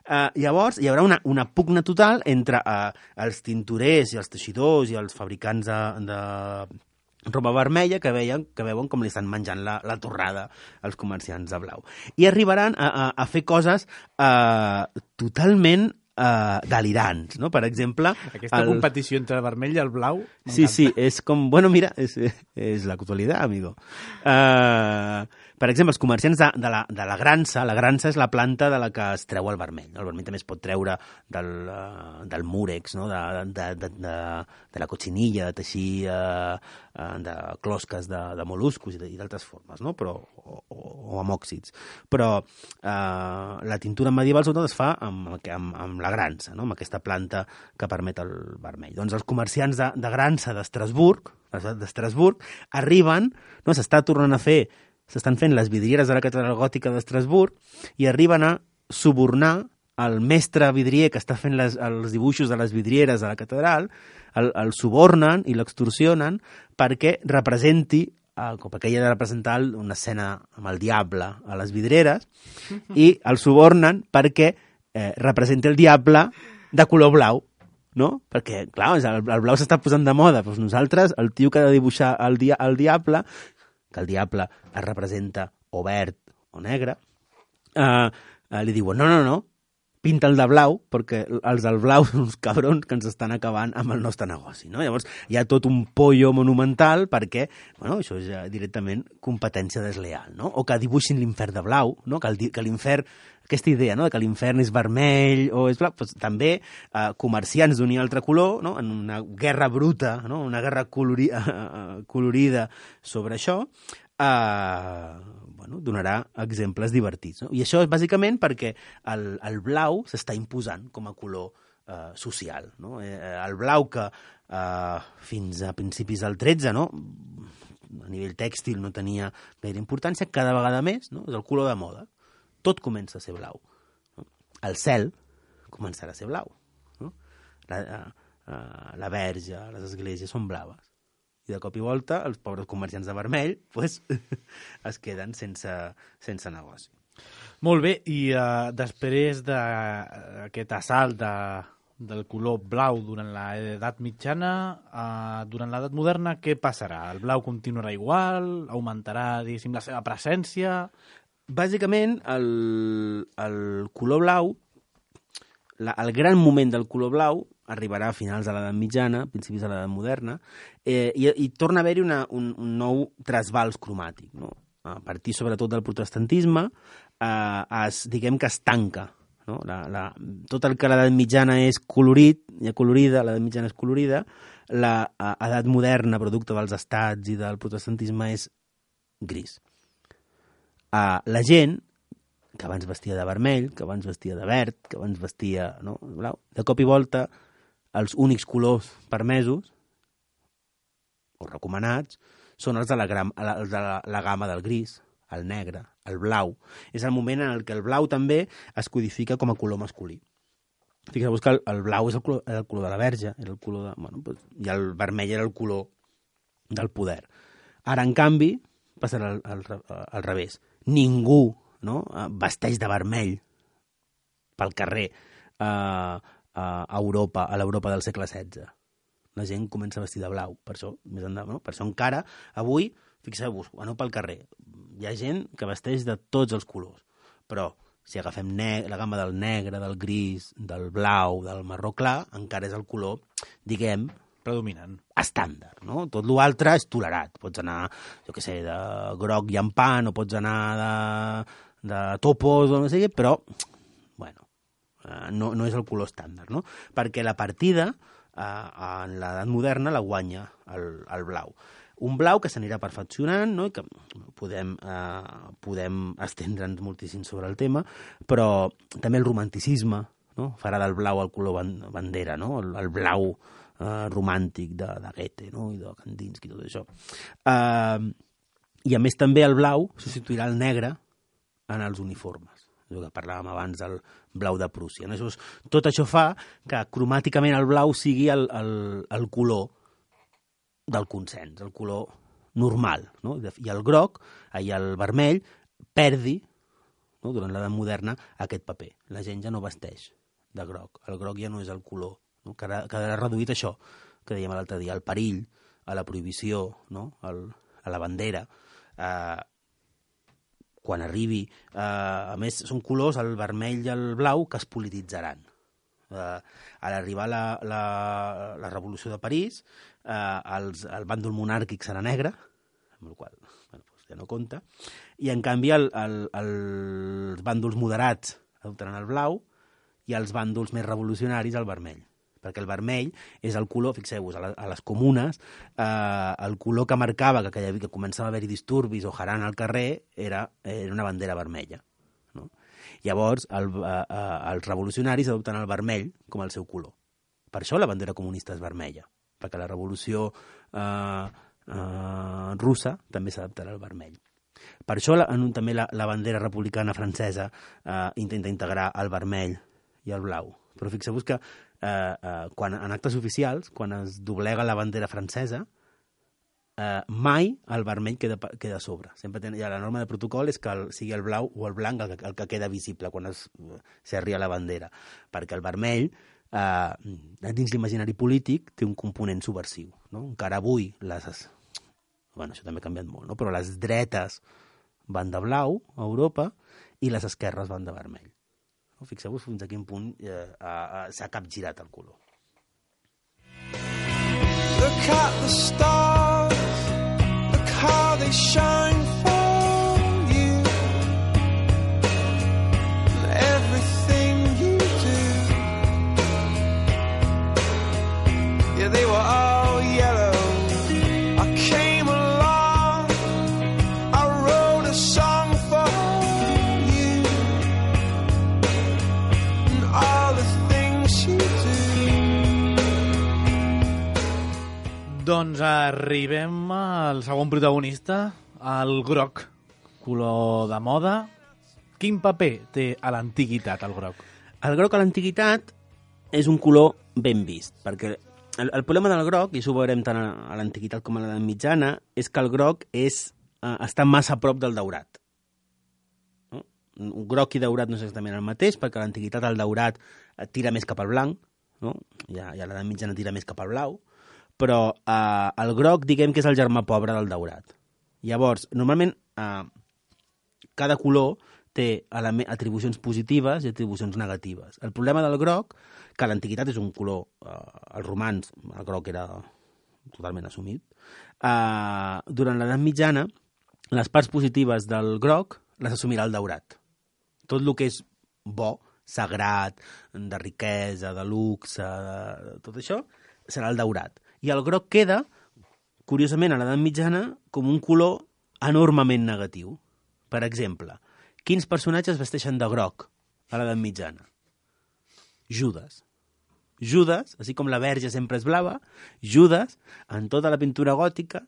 Uh, llavors, hi haurà una, una pugna total entre uh, els tinturers i els teixidors i els fabricants de, de roba vermella que veien que veuen com li estan menjant la, la torrada als comerciants de blau. I arribaran a, a, a fer coses uh, totalment uh, delirants, no? Per exemple... Aquesta el... competició entre el vermell i el blau... Sí, sí, és com... Bueno, mira, és, és l'actualitat, amigo. Uh, per exemple, els comerciants de, de, la, de la grança, la grança és la planta de la que es treu el vermell. El vermell també es pot treure del, uh, del múrex, no? de, de, de, de, de la cotxinilla, de teixir uh, uh, de closques de, de mol·luscos i d'altres formes, no? Però, o, o amb òxids. Però uh, la tintura medieval sobretot es fa amb, amb, amb la grança, no? Amb aquesta planta que permet el vermell. Doncs els comerciants de, de grança d'Estrasburg, d'Estrasburg, arriben, no? S'està tornant a fer s'estan fent les vidrieres de la catedral gòtica d'Estrasburg i arriben a subornar el mestre vidrier que està fent les, els dibuixos de les vidrieres de la catedral, el, el subornen i l'extorsionen perquè representi, eh, perquè ella ha de representar una escena amb el diable a les vidrieres, i el subornen perquè eh, representi el diable de color blau, no? Perquè, clar, el, el blau s'està posant de moda. Doncs nosaltres, el tio que ha de dibuixar el, dia, el diable, que el diable es representa o verd o negre, eh, eh, li diuen, no, no, no, pinta'l de blau, perquè els del blau són uns cabrons que ens estan acabant amb el nostre negoci, no? Llavors hi ha tot un pollo monumental perquè, bueno, això és ja directament competència desleal, no? O que dibuixin l'infern de blau, no? Que, el, que l'infern, aquesta idea, no? Que l'infern és vermell o és blau, doncs també eh, comerciants d'un i altre color, no? En una guerra bruta, no? Una guerra colori, eh, colorida sobre això, eh, bueno, donarà exemples divertits, no? I això és bàsicament perquè el, el blau s'està imposant com a color eh, social, no? Eh, el blau que eh, fins a principis del tretze, no? A nivell tèxtil no tenia gaire importància, cada vegada més, no? És el color de moda. Tot comença a ser blau. No? El cel començarà a ser blau. No? La, uh, la verge, les esglésies són blaves. I de cop i volta els pobres comerciants de vermell pues, es queden sense, sense negoci. Molt bé, i uh, després d'aquest assalt de, del color blau durant l'edat mitjana, uh, durant l'edat moderna, què passarà? El blau continuarà igual? Augmentarà, diguéssim, la seva presència? Bàsicament, el, el color blau, la, el gran moment del color blau arribarà a finals de l'edat mitjana, principis de l'edat moderna, eh, i, i torna a haver-hi una, un, un nou trasbals cromàtic, no? A partir sobretot del protestantisme, eh, es, diguem que es tanca, no? La, la, tot el que a l'edat mitjana és colorit, ja colorida, l'edat mitjana és colorida, l'edat moderna, producte dels estats i del protestantisme, és gris. Uh, la gent que abans vestia de vermell, que abans vestia de verd, que abans vestia no, blau, de cop i volta els únics colors permesos o recomanats són els de la, gram, els de la, la gamma del gris, el negre, el blau. És el moment en el que el blau també es codifica com a color masculí. Fixeu-vos que el, el blau és el color, el color de la verge, era el color de, bueno, pues, i el vermell era el color del poder. Ara, en canvi, passarà al, al, al revés. Ningú, no, vesteix de vermell pel carrer a, a Europa, a l'Europa del segle setze. La gent comença a vestir de blau, per això, més endavant, no? Per això encara, avui, fixeu-vos, aneu pel carrer, hi ha gent que vesteix de tots els colors, però si agafem la gamma del negre, del gris, del blau, del marró clar, encara és el color, diguem, predominant. Estàndard, no? Tot l'altre és tolerat. Pots anar, jo què sé, de groc llampant, o pots anar de, de topos, o no sé què, però, bueno, no, no és el color estàndard, no? Perquè la partida, eh, en l'edat moderna, la guanya el, el blau. Un blau que s'anirà perfeccionant, no? I que podem, eh, podem estendre'ns moltíssim sobre el tema, però també el romanticisme, no? Farà del blau el color bandera, no? El, el blau eh, romàntic de, de Goethe, no? I de Kandinsky i tot això. Eh, I a més també el blau substituirà el negre en els uniformes. El que parlàvem abans del blau de Prússia. No? Això és, tot això fa que cromàticament el blau sigui el, el, el color del consens, el color normal, no? I el groc, i el vermell, perdi, no? Durant l'edat moderna, aquest paper. La gent ja no vesteix de groc. El groc ja no és el color, no? Quedarà reduït això, que dèiem l'altre dia, al perill, a la prohibició, no? El, a la bandera. Eh, quan arribi... Eh, a més, són colors, el vermell i el blau, que es polititzaran. Uh, a l'arribar la, la, la Revolució de París, uh, els, el bàndol monàrquic serà negre, amb el qual bueno, doncs ja no compta, i en canvi el, el, el, els bàndols moderats adoptaran el blau i els bàndols més revolucionaris el vermell. Perquè el vermell és el color, fixeu-vos, a, la, a les comunes, uh, el color que marcava que, que, que començava a haver-hi disturbis o jarana al carrer era, era una bandera vermella. Llavors, el, eh, els revolucionaris adopten el vermell com el seu color. Per això la bandera comunista és vermella, perquè la revolució eh, eh, russa també s'adaptarà al vermell. Per això la, en, també la, la bandera republicana francesa eh, intenta integrar el vermell i el blau. Però fixeu-vos que eh, eh, quan, en actes oficials, quan es doblega la bandera francesa, Uh, mai el vermell queda, queda a sobre. Sempre ten, ja, la norma de protocol és que el, sigui el blau o el blanc el, el que queda visible quan s'arria la bandera. Perquè el vermell, uh, dins l'imaginari polític, té un component subversiu. No? Encara avui, les, bueno, això també ha canviat molt, no? Però les dretes van de blau a Europa i les esquerres van de vermell. No? Fixeu-vos fins a quin punt uh, uh, s'ha capgirat el color. Look at the stars, look how they shine for you, and everything you do. Yeah, they were all yellow. I came along, I wrote a song for you, and all the things you do. Doncs arribem al segon protagonista, el groc, color de moda. Quin paper té a l'antiguitat el groc? El groc a l'antiguitat és un color ben vist, perquè el, el problema del groc, i això ho veurem tant a l'antiguitat com a l'edat mitjana, és que el groc és, eh, està massa a prop del daurat. No? Un groc i daurat no és exactament el mateix, perquè a l'antiguitat el daurat tira més cap al blanc, no? I a, i a l'edat mitjana tira més cap al blau, però eh, el groc, diguem que és el germà pobre del daurat. Llavors, normalment, eh, cada color té atribucions positives i atribucions negatives. El problema del groc, que a l'antiguitat és un color, eh, els romans, el groc era totalment assumit, eh, durant l'edat mitjana, les parts positives del groc les assumirà el daurat. Tot el que és bo, sagrat, de riquesa, de luxe, de tot això, serà el daurat. I el groc queda, curiosament, a l'edat mitjana, com un color enormement negatiu. Per exemple, quins personatges vesteixen de groc a l'edat mitjana? Judes. Judes, així com la Verge sempre és blava, Judes, en tota la pintura gòtica,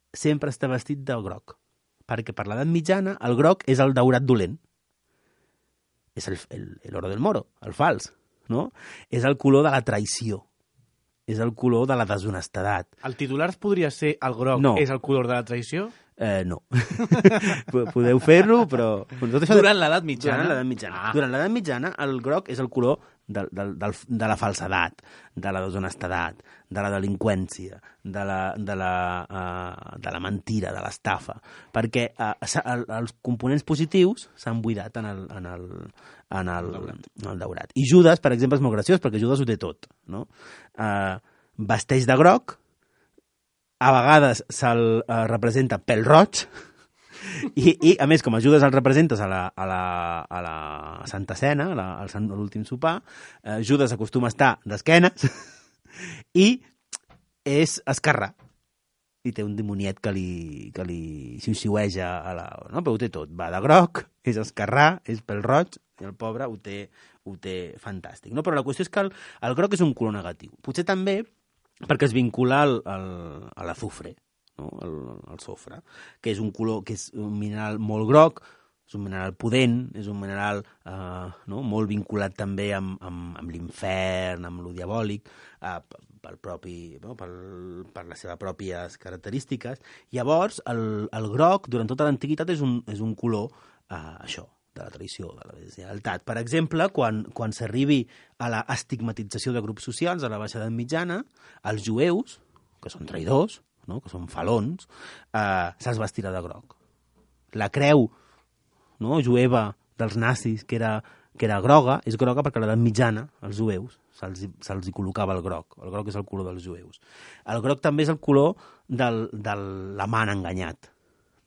sempre està vestit de groc. Perquè per l'edat mitjana el groc és el daurat dolent. És el, el, el oro del moro, el fals, no? És el color de la traïció. És el color de la deshonestedat. El titular podria ser el groc no. és el color de la traïció? Eh, no. Podeu fer-lo, però... Tot això Durant l'edat mitjana? Durant l'edat mitjana. Ah. Durant l'edat mitjana, el groc és el color de, de, de, de la falsedat, de la deshonestedat, de la delinqüència, de la, de la, uh, de la mentira, de l'estafa, perquè uh, el, els components positius s'han buidat en el, en el, en el, en el daurat. I Judas, per exemple, és molt graciós, perquè Judas ho té tot. No? Uh, vesteix de groc, a vegades se'l uh, representa pèl roig, i, i a més, com a Judas el representes a la, a la, a la Santa Cena, a la, al Sant- a l'últim sopar, eh, Judas acostuma a estar d'esquenes i és esquerrà. I té un dimoniet que li, que li xiu-xiueja a la... No? Però ho té tot. Va de groc, és esquerrà, és pèl roig, i el pobre ho té, ho té fantàstic. No? Però la qüestió és que el, el groc és un color negatiu. Potser també perquè es vincula al, al, a l'azufre, no? el, el sofre, que és un color, que és un mineral molt groc, és un mineral pudent, és un mineral eh, no? molt vinculat també amb, amb, amb l'infern, amb lo diabòlic, eh, pel propi, no? pel, per les seves pròpies característiques. Llavors, el, el groc, durant tota l'antiguitat, és un, és un color, eh, això, de la tradició, de la deslleialtat. Per exemple, quan, quan s'arribi a la estigmatització de grups socials a la baixa edat mitjana, els jueus, que són traïdors, no? que són falons, eh, se'ls vestirà de groc. La creu no? jueva dels nazis, que era, que era groga, és groga perquè a l'edat mitjana, els jueus, se'ls se hi col·locava el groc. El groc és el color dels jueus. El groc també és el color del, de l'amant enganyat,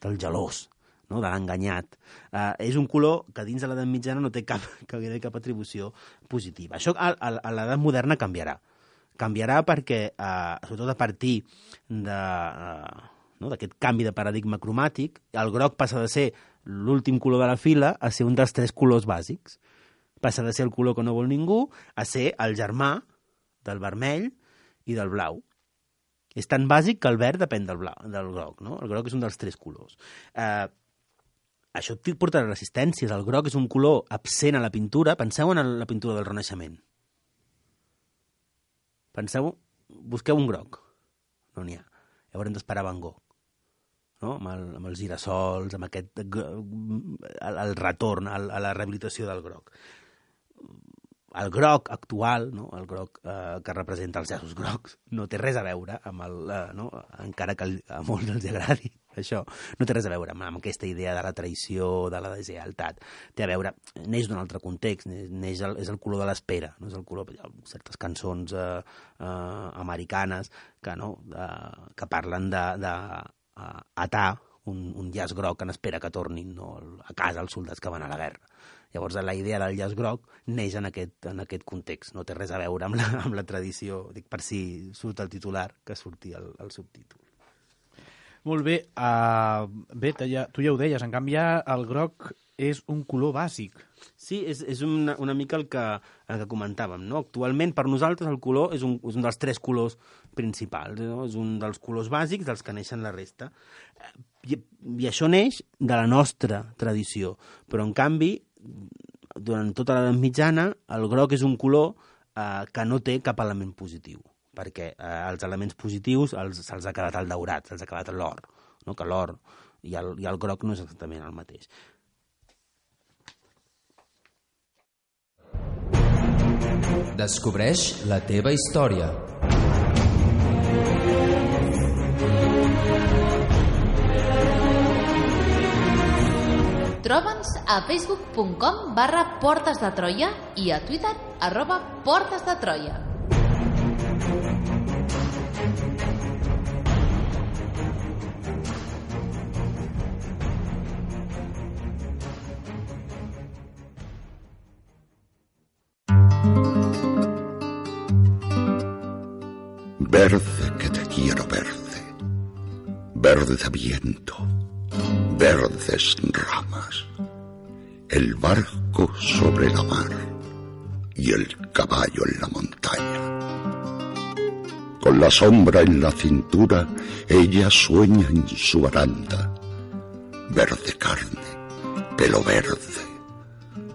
del gelós, no? de l'enganyat. Uh, és un color que dins de l'edat mitjana no té cap, cap, cap atribució positiva. Això a, a, a l'edat moderna canviarà. Canviarà perquè, uh, sobretot a partir de, uh, no? d'aquest canvi de paradigma cromàtic, el groc passa de ser l'últim color de la fila a ser un dels tres colors bàsics. Passa de ser el color que no vol ningú a ser el germà del vermell i del blau. És tan bàsic que el verd depèn del, blau, del groc. No? El groc és un dels tres colors. Eh, Això portarà resistències. El groc és un color absent a la pintura. Penseu en la pintura del Renaixement. Penseu, busqueu un groc. No n'hi ha. Haurem d'esperar Van Gogh. No? Amb, el, amb els girassols, amb aquest... el, el retorn, el, a la rehabilitació del groc. El groc actual, no? el groc eh, que representa els llaços grocs, no té res a veure amb el... Eh, no? encara que a molts els agradi això, no té res a veure amb, amb aquesta idea de la traïció, de la deslleialtat. Té a veure, neix d'un altre context, neix el, és el color de l'espera, no és el color... Hi ha certes cançons eh, eh, americanes que, no? eh, que parlen de, de eh, atar un, un llaç groc en espera que tornin no? a casa els soldats que van a la guerra. Llavors, la idea del llaç groc neix en aquest, en aquest context. No té res a veure amb la, amb la tradició. Dic per si surt el titular, que surti el, el subtítol. Molt bé. Uh, bé, ja, tu ja ho deies. En canvi, el groc és un color bàsic. Sí, és, és una, una mica el que, el que comentàvem. No? Actualment, per nosaltres, el color és un, és un dels tres colors principals. No? És un dels colors bàsics dels que neixen la resta. I, i això neix de la nostra tradició. Però, en canvi, durant tota l'edat mitjana, el groc és un color eh, que no té cap element positiu, perquè eh, els elements positius els, se'ls ha quedat el daurat, se'ls ha quedat l'or, no? que l'or i el, i el groc no és exactament el mateix. Descobreix la teva història. Troba'ns a facebook punt com barra Portes de Troia i a Twitter arroba Portes de Troia. Verde que te quiero verde, verde viento, verdes ramas, el barco sobre la mar y el caballo en la montaña. Con la sombra en la cintura, ella sueña en su baranda, verde carne, pelo verde,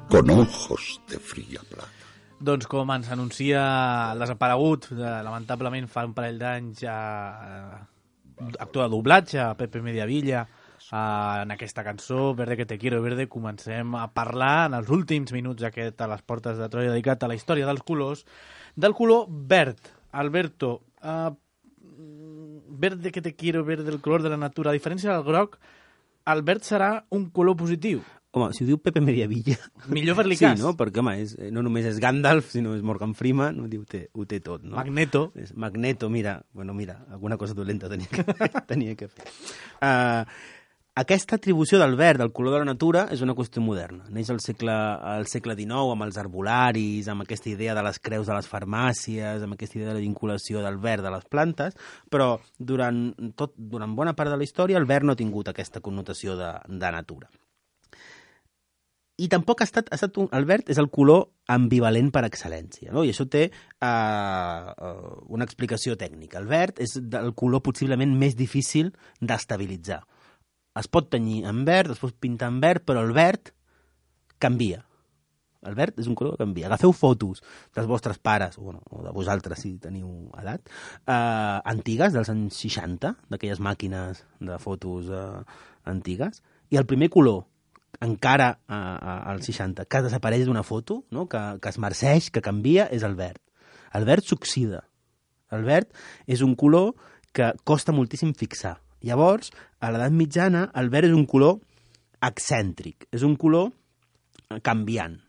con ojos de fría plata. Doncs com ens anuncia el desaparegut, de, lamentablement fa un parell d'anys, a, a, actor de doblatge, a Pepe Mediavilla, Uh, en aquesta cançó, Verde que te quiero verde, comencem a parlar en els últims minuts aquest a les portes de Troia dedicat a la història dels colors, del color verd. Alberto, uh, verde que te quiero verde, el color de la natura. A diferència del groc, el verd serà un color positiu. Home, si ho diu Pepe Mediavilla... Millor fer-li sí, cas. no? Perquè, home, és, no només és Gandalf, sinó és Morgan Freeman, no? Diu, té, ho té tot, no? Magneto. És Magneto, mira, bueno, mira, alguna cosa dolenta tenia que, tenia que fer. Uh, aquesta atribució del verd, del color de la natura, és una qüestió moderna. Neix al segle, al segle dinou, amb els arbolaris, amb aquesta idea de les creus de les farmàcies, amb aquesta idea de la vinculació del verd a les plantes, però durant, tot, durant bona part de la història el verd no ha tingut aquesta connotació de, de natura. I tampoc ha estat, ha estat un, el verd és el color ambivalent per excel·lència, no? I això té uh, uh, una explicació tècnica. El verd és el color possiblement més difícil d'estabilitzar. Es pot tenyir en verd, es pot pintar en verd, però el verd canvia. El verd és un color que canvia. Agafeu fotos dels vostres pares, o, bueno, o de vosaltres, si teniu edat, uh, antigues, dels anys seixanta, d'aquelles màquines de fotos uh, antigues, i el primer color encara a, a, als seixanta, que desapareix d'una foto, no? que, que es marceix, que canvia, és el verd. El verd s'oxida. El verd és un color que costa moltíssim fixar. Llavors, a l'edat mitjana, el verd és un color excèntric, és un color canviant.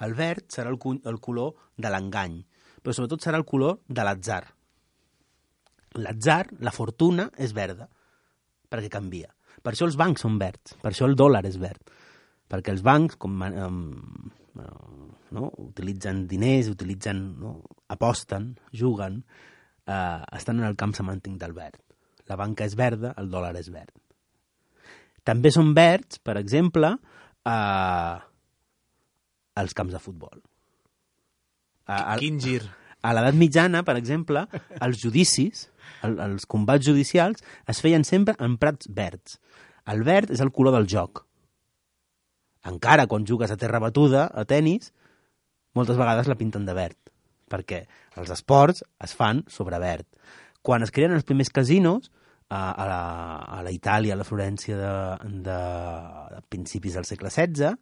El verd serà el, el color de l'engany, però sobretot serà el color de l'atzar. L'atzar, la fortuna, és verda, perquè canvia. Per això els bancs són verds, per això el dòlar és verd. Perquè els bancs com, um, no, utilitzen diners, utilitzen, no, aposten, juguen, uh, estan en el camp semàntic del verd. La banca és verda, el dòlar és verd. També són verds, per exemple, uh, els camps de futbol. Uh, Quin gir! A l'edat mitjana, per exemple, els judicis, el, els combats judicials, es feien sempre en prats verds. El verd és el color del joc. Encara quan jugues a terra batuda, a tennis, moltes vegades la pinten de verd, perquè els esports es fan sobre verd. Quan es creen els primers casinos, a, a, la, a la Itàlia, a la Florència de, de, de principis del segle setze,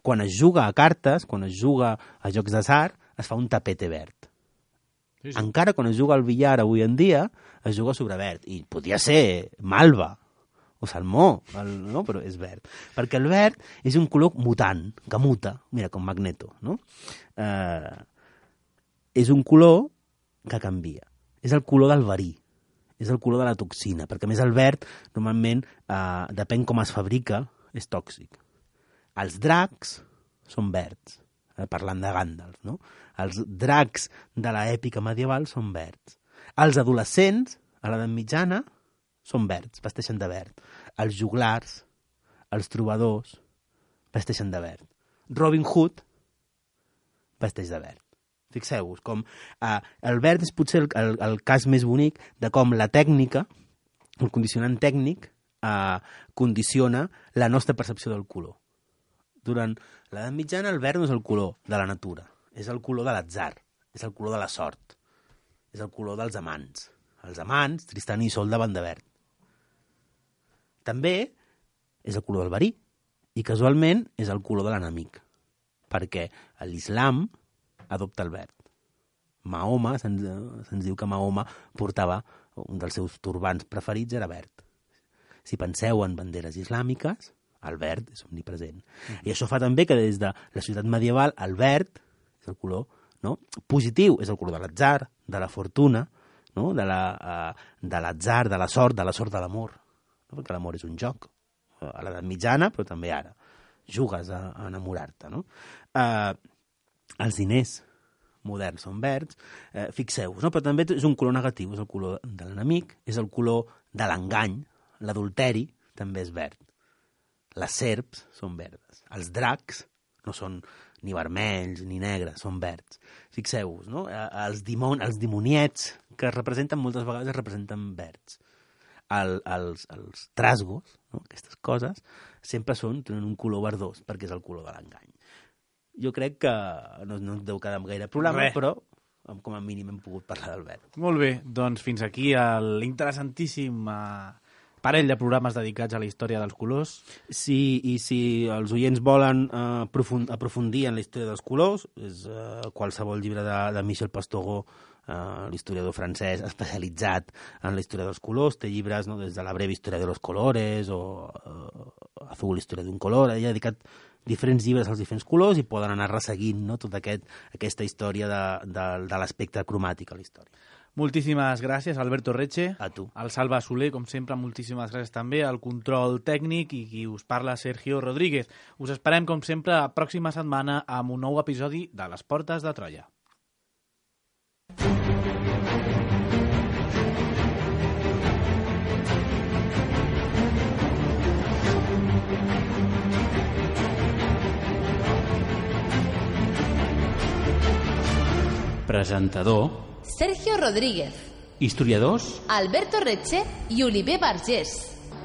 quan es juga a cartes, quan es juga a jocs d'atzar, es fa un tapete verd. Sí, sí. Encara quan es juga al billar avui en dia, es juga sobre verd. I podria ser malva o salmó, el, no? Però és verd. Perquè el verd és un color mutant, que muta, mira, com Magneto, no? Eh, és un color que canvia. És el color del verí, és el color de la toxina, perquè a més el verd, normalment, eh, depèn com es fabrica, és tòxic. Els dracs són verds, eh, parlant de Gandalf, no? Els dracs de l'èpica medieval són verds. Els adolescents, a l'edat mitjana, són verds, vesteixen de verd. Els joglars, els trobadors, vesteixen de verd. Robin Hood vesteix de verd. Fixeu-vos, com eh, el verd és potser el, el, el cas més bonic de com la tècnica, el condicionant tècnic, eh, condiciona la nostra percepció del color. Durant l'edat mitjana el verd no és el color de la natura, és el color de l'atzar, és el color de la sort, és el color dels amants. Els amants, Tristan i Isolda, van de verd. També és el color del verí i casualment és el color de l'enemic, perquè l'islam adopta el verd. Mahoma, se'ns, se'ns diu que Mahoma portava, un dels seus turbants preferits era verd. Si penseu en banderes islàmiques, el verd és omnipresent. Mm. I això fa també que des de la societat medieval el verd és el color, no? Positiu, és el color de l'atzar, de la fortuna, no? de, la, uh, de l'atzar, de la sort, de la sort de l'amor. No? Perquè l'amor és un joc. A l'edat mitjana, però també ara. Jugues a, a enamorar-te. No? Uh, els diners moderns són verds. Uh, fixeu-vos, no? Però també és un color negatiu. És el color de l'enemic, és el color de l'engany. L'adulteri també és verd. Les serps són verdes. Els dracs no són ni vermells ni negres, són verds. Fixeu-vos, no? Els, dimon, els dimoniets que es representen moltes vegades es representen verds. El, els, els trasgos, no? Aquestes coses, sempre són, tenen un color verdós, perquè és el color de l'engany. Jo crec que no, no ens deu quedar gaire programa, Bé. però com a mínim hem pogut parlar del verd. Molt bé, doncs fins aquí l'interessantíssim uh, parell de programes dedicats a la història dels colors. Sí, i si els oients volen eh, aprofund aprofundir en la història dels colors, és eh, qualsevol llibre de, de Michel Pastoureau, eh, l'historiador francès especialitzat en la història dels colors, té llibres, no?, des de la breve història de los colores o eh, Azul, història d'un color. Ell ha dedicat diferents llibres als diferents colors i poden anar resseguint, no?, tota aquest, aquesta història de, de, de l'aspecte cromàtic a la història. Moltíssimes gràcies, Alberto Reche. A tu. Al Salva Soler, com sempre, moltíssimes gràcies també. Al control tècnic i qui us parla, Sergio Rodríguez. Us esperem, com sempre, la pròxima setmana amb un nou episodi de Les Portes de Troia. Presentador Sergio Rodríguez, historiadors, Alberto Reche i Oliver Vergés.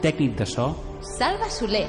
tècnic de so Salva Soler.